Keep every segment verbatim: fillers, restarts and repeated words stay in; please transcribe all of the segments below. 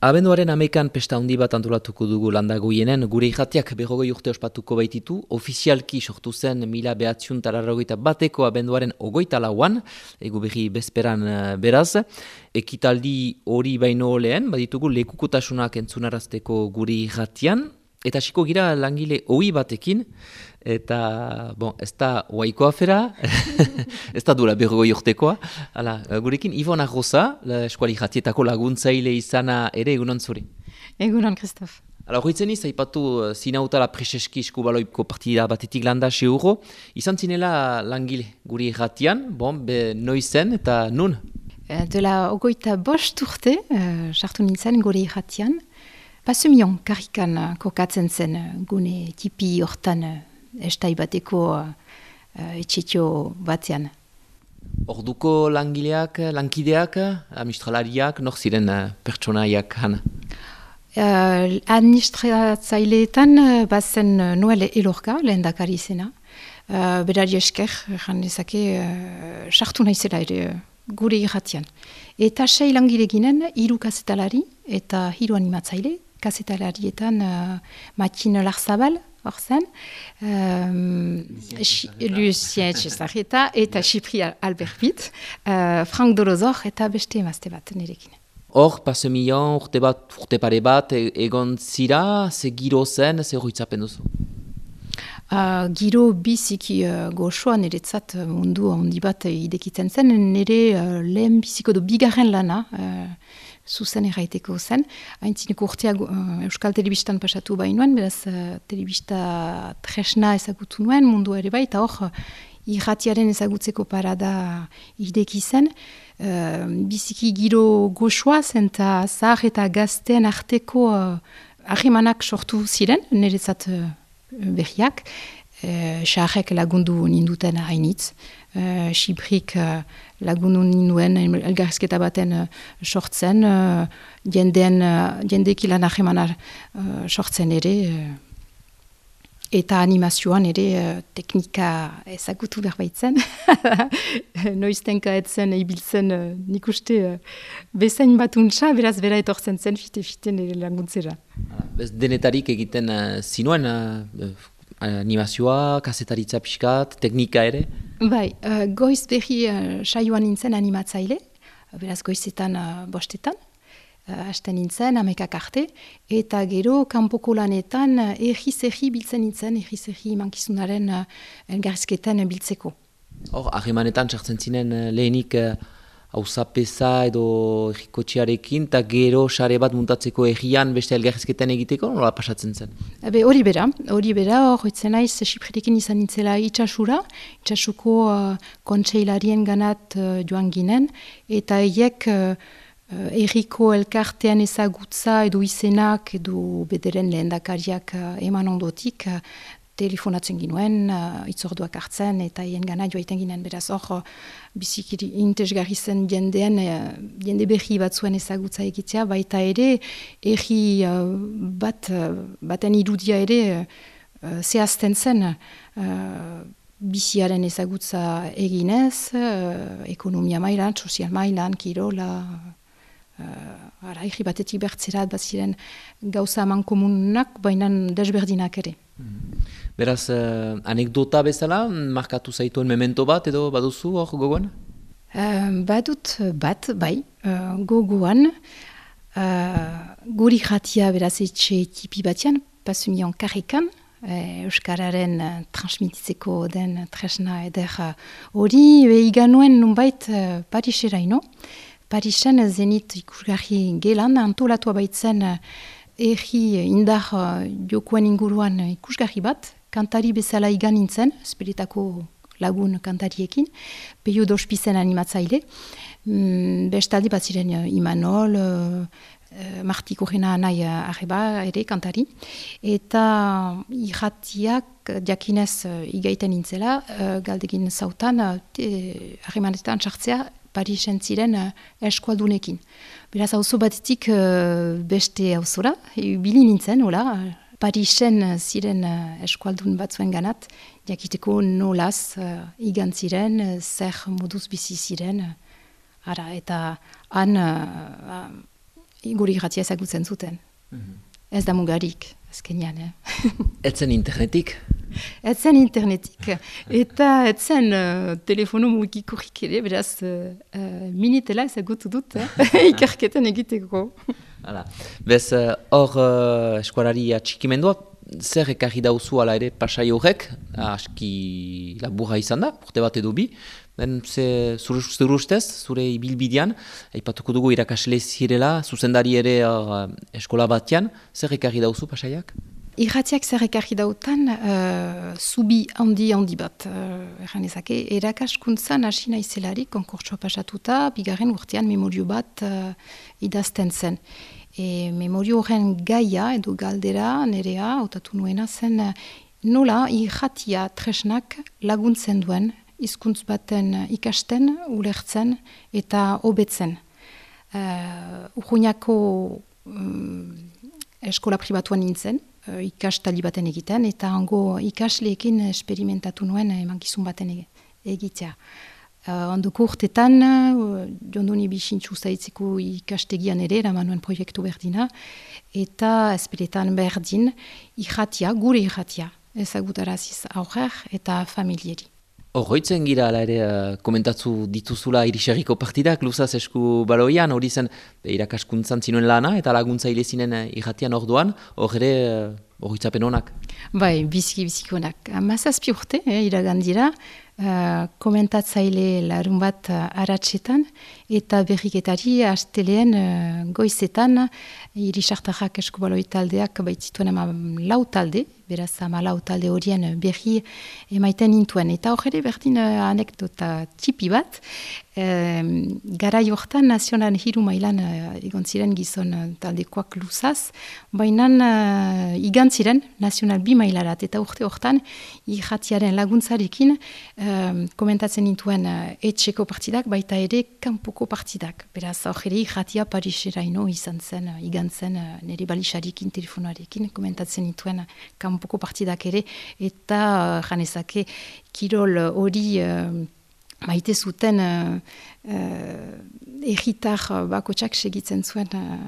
Abenduaren hamekan pesta handi bat antolatuko dugu Landagoienen, gure irratiak berrogei urte ospatuko baititu, ofizialki sortu zen mila behatziun tararrogeita bateko abenduaren ogoita lauan, egu berri bezperan beraz, ekitaldi hori baino lehen, baditugu lekukotasunak entzunarazteko gure irratian, eta hasiko gira langile ohi batekin, eta, bon, ez da oaiko afera, ez da duela berrogei urtekoa. Hala, gurekin, Ivona Rosa, eskuali jatietako laguntzaile izana ere egunon zuri. Egunon, Christophe. Hala, horitzen iz, haipatu zinautala preseski eskubaloiko partida batetik landa xe euro, izan zinela langile guri jatian, bon, be noizen eta nun? Dela ogoita bost urte, sartu nintzen gure jatian, Pasumion karrikan kokatzen zen gune tipi hortan estai bateko uh, etxetxo batean. Orduko langileak, lankideak, administralariak, nor ziren uh, pertsonaiak hana? Uh, administratzaileetan uh, bazen uh, Noel Elorka, lehendakari zena. Uh, berari esker, jan dezake, uh, sartu naizela ere uh, gure irratian. Eta sei langile ginen, hiru kazetalari eta hiru animatzaile. Kazetalarietan uh, Matin Larzabal, hor zen, um, Lucien Txezarreta eta Xipri Albert Pitt, uh, Frank Dorozor eta beste emazte bat nirekin. Hor, pasemion, urte bat, urte pare bat, egon zira, ze giro zen, ze horretzapen duzu? Uh, giro biziki uh, goxoa niretzat mundu handi bat idekitzen zen, nire uh, lehen biziko du bigarren lana, uh, zuzen erraiteko zen. Haintzineko urteak uh, Euskal Telebistan pasatu bainoen, beraz uh, telebista tresna ezagutu nuen, mundu ere bai, eta hor uh, irratiaren ezagutzeko parada ideki zen. Uh, biziki giro goxoa zen, eta zahar eta gazten arteko uh, ahimanak sortu ziren, niretzat uh, berriak. Uh, Xarrek lagundu ninduten hainitz. Uh, Xiprik uh, lagundu ninduen elgarrizketa baten uh, sortzen, uh, jendeen, uh, jendeki lan ahemana uh, sortzen ere, uh, eta animazioan ere uh, teknika ezagutu berbaitzen. Noiztenka etzen ibiltzen uh, nik uste uh, bezain bat untsa, beraz bera etortzen zen fite-fite nire laguntzera. Bez denetarik egiten uh, zinuen uh, animazioa, kasetaritza pixkat, teknika ere? Bai, uh, goiz berri uh, saioan nintzen animatzaile, beraz goizetan uh, bostetan, uh, hasten nintzen, amekak arte, eta gero kanpoko lanetan uh, erri-zerri biltzen nintzen, erri-zerri mankizunaren uh, elgarrizketan biltzeko. Hor, ahemanetan sartzen zinen uh, lehenik uh, hauzapeza edo errikotxearekin, eta gero sare bat muntatzeko errian beste elgarrizketan egiteko, nola pasatzen zen? Ebe, hori bera, hori bera, hor hoitzen naiz, Xipretekin izan nintzela itxasura, itxasuko uh, kontseilarien ganat uh, joan ginen, eta eiek uh, erriko elkartean ezagutza edo izenak edo bederen lehendakariak uh, eman ondotik, uh, telefonatzen ginuen, uh, itzorduak hartzen, eta hien gana joaiten ginen, beraz hor, uh, biziki intezgarri zen jendean, uh, jende berri batzuen ezagutza egitea, baita ere, erri uh, bat, uh, baten irudia ere, uh, zehazten zen, uh, biziaren ezagutza eginez, uh, ekonomia mailan, sozial mailan, kirola, uh, ara, erri batetik bertzerat, bat ziren gauza eman komunak, baina desberdinak ere. Beraz, uh, anekdota bezala, markatu zaituen memento bat edo baduzu hor gogoan? Uh, badut bat, bai, uh, gogoan, uh, guri jatia beraz etxe tipi batian, Pasumion karrikan, uh, Euskararen uh, transmititzeko den tresna eder hori, uh, iganuen nunbait uh, Pariseraino. Parisen zenit ikusgarri gelan, antolatua baitzen uh, erri indar uh, jokoen inguruan ikusgarri bat, kantari bezala igan nintzen, Esperetako lagun kantariekin, Peio Dospizen animatzaile, mm, bestaldi bat ziren uh, Imanol, uh, uh, Marti Korrena nahi uh, arreba ere kantari, eta irratiak jakinez uh, igaiten nintzela, uh, galdegin zautan, uh, harremanetan sartzea, Parisen ziren uh, eskualdunekin. Beraz, auzo batetik uh, beste auzora, bili nintzen, hola, Parisen ziren uh, eskualdun batzuen ganat, jakiteko nolaz uh, igan ziren, uh, zer moduz bizi ziren, uh, ara, eta han uh, gure irratia ezagutzen zuten. Mm-hmm. Ez da mugarik, azkenean. Eh? Etzen internetik? Etzen internetik. Eta etzen uh, telefono mugikorrik ere, beraz, uh, uh, minitela ezagutu dut, eh? Ikerketan egiteko. Hala. Bez, hor uh, eskualari atxikimendua, zer ekarri dauzu ala ere pasai horrek, aski laburra izan da, urte bat edo bi, ben ze zure ustez, zure ibilbidean, aipatuko dugu irakasle zirela, zuzendari ere uh, eskola batean, zer ekarri dauzu pasaiak? Irratiak zer ekarri dautan, uh, zubi handi handi bat, uh, erran ezake, erakaskuntzan hasi naizelarik, konkurtsua pasatuta, bigarren urtean memorio bat uh, idazten zen. E, memorio horren gaia edo galdera nerea, hautatu nuena zen, nola irratia tresnak laguntzen duen, hizkuntz baten ikasten, ulertzen eta hobetzen. Uh, Urruñako um, eskola pribatuan nintzen, uh, ikastali baten egiten, eta hango ikasleekin esperimentatu nuen emankizun baten egitea. Uh, Ondoko urtetan, uh, jondoni bixintxu zaitzeko ikastegian ere, eraman nuen proiektu berdina, eta ezperetan berdin, irratia, gure irratia, ezagutaraziz aurrer eta familieri. Horroitzen gira, ala ere, uh, komentatzu dituzula irixarriko partidak, luzaz esku baloian, hori zen irakaskuntzan zinuen lana, eta laguntzaile zinen uh, irratian orduan, hor ere horroitzapen honak. Bai, biziki biziki honak. Mazazpi urte, eh, iragandira, Uh, komentatzaile larun bat uh, aratsetan, eta berriketari asteleen uh, goizetan irisartarrak eskubaloi taldeak baitzituen ama lau talde, beraz ama lau talde horien berri emaiten intuen. Eta hor ere berdin uh, anekdota tipi bat, uh, garai hortan nazional hiru mailan uh, egon ziren gizon uh, taldekoak luzaz, baina uh, igantziren nazional bi mailarat, eta urte hortan irratiaren laguntzarekin Um, komentatzen nintuen uh, etxeko partidak, baita ere kanpoko partidak. Beraz, hor ere irratia Pariseraino izan zen, uh, igantzen uh, nire balixarekin, telefonoarekin, komentatzen nintuen uh, kanpoko partidak ere, eta uh, janezake kirol hori uh, maite zuten uh, uh, erritar uh, bakotsak segitzen zuen uh,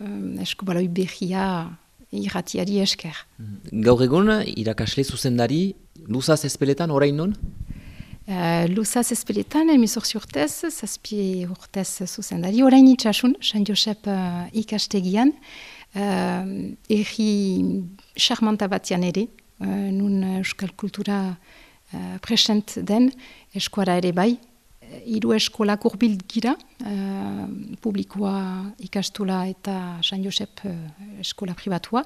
um, eskubaloi berria irratiari esker. Gaur egun, irakasle zuzendari, luzaz ezpeletan, orain non? Uh, Luzaz ezpeletan, emezortzi urtez, zazpi urtez zuzendari, orain itxasun, San Josep uh, ikastegian, uh, erri charmanta batian ere, uh, nun euskal kultura uh, present den, eskuara ere bai, hiru eskolak urbil gira, uh, publikoa ikastola eta San Josep uh, eskola pribatua.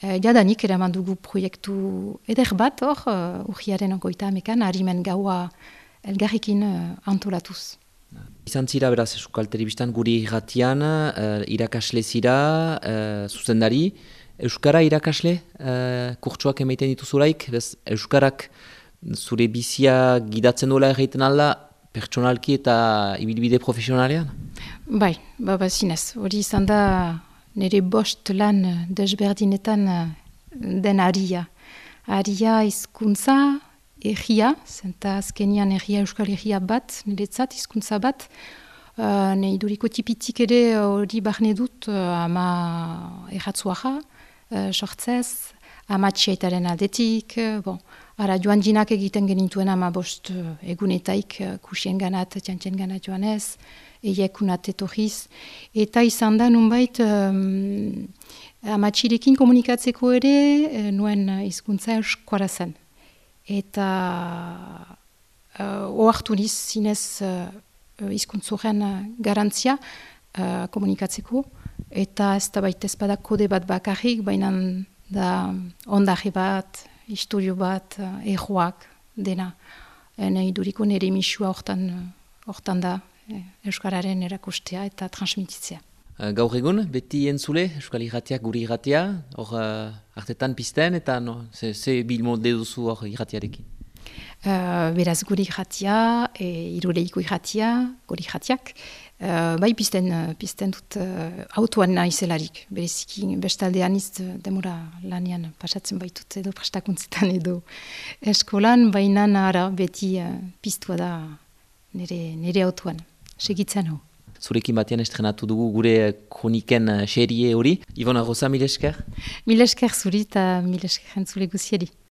Uh, jadanik eraman dugu proiektu eder bat hor, uh, urriaren ogoita amekan, harimen gaua elgarrikin uh, antolatuz. Izan zira, beraz, Euskal Telebistan guri irratian, uh, irakasle zira, uh, zuzendari. Euskara irakasle, uh, kurtsuak emaiten dituzulaik, bez, Euskarak zure bizia gidatzen duela erraiten alda, pertsonalki eta ibilbide profesionalean? Bai, baba zinez. Hori izan da nire bost lan desberdinetan den aria. Aria hizkuntza, erria, zenta azkenian erria euskal erria bat, niretzat hizkuntza bat. Uh, ne iduriko tipitik ere hori barne dut uh, ama erratzuaja, uh, sortzez, ama txiaitaren aldetik, uh, bon. Ara, joan jinak egiten genituen ama bost uh, egunetaik uh, kusien ganat, txantxen ganat joanez, eiakunat etorriz. Eta izan da nunbait um, amatxirekin komunikatzeko ere uh, nuen hizkuntza euskara zen. Eta uh, ohartu niz zinez uh, hizkuntzoren uh, garantzia uh, komunikatzeko. Eta ez da baita ezpada kode bat bakarrik, baina da ondaje bat, historio bat, uh, erroak dena. Nahi duriko nire misua hortan, hortan da eh, Euskararen erakustea eta transmititzea. Uh, gaur egun, beti entzule, Euskal irratiak guri irratia, hor uh, artetan pizten eta no, ze, ze bilmolde duzu hor irratiarekin? Uh, beraz guri irratia, e, iruleiko irratia, guri irratiak, Uh, bai pizten, pizten dut uh, autoan naizelarik, bereziki bestaldean iz demora lanian pasatzen baitut edo prestakuntzetan edo eskolan, baina ara beti uh, piztua da nire, nire autoan, segitzen hau. zurekin batean estrenatu dugu gure kroniken serie hori. Ivona Rosa, mil esker? Mil esker zuri eta mil esker entzule guzieri.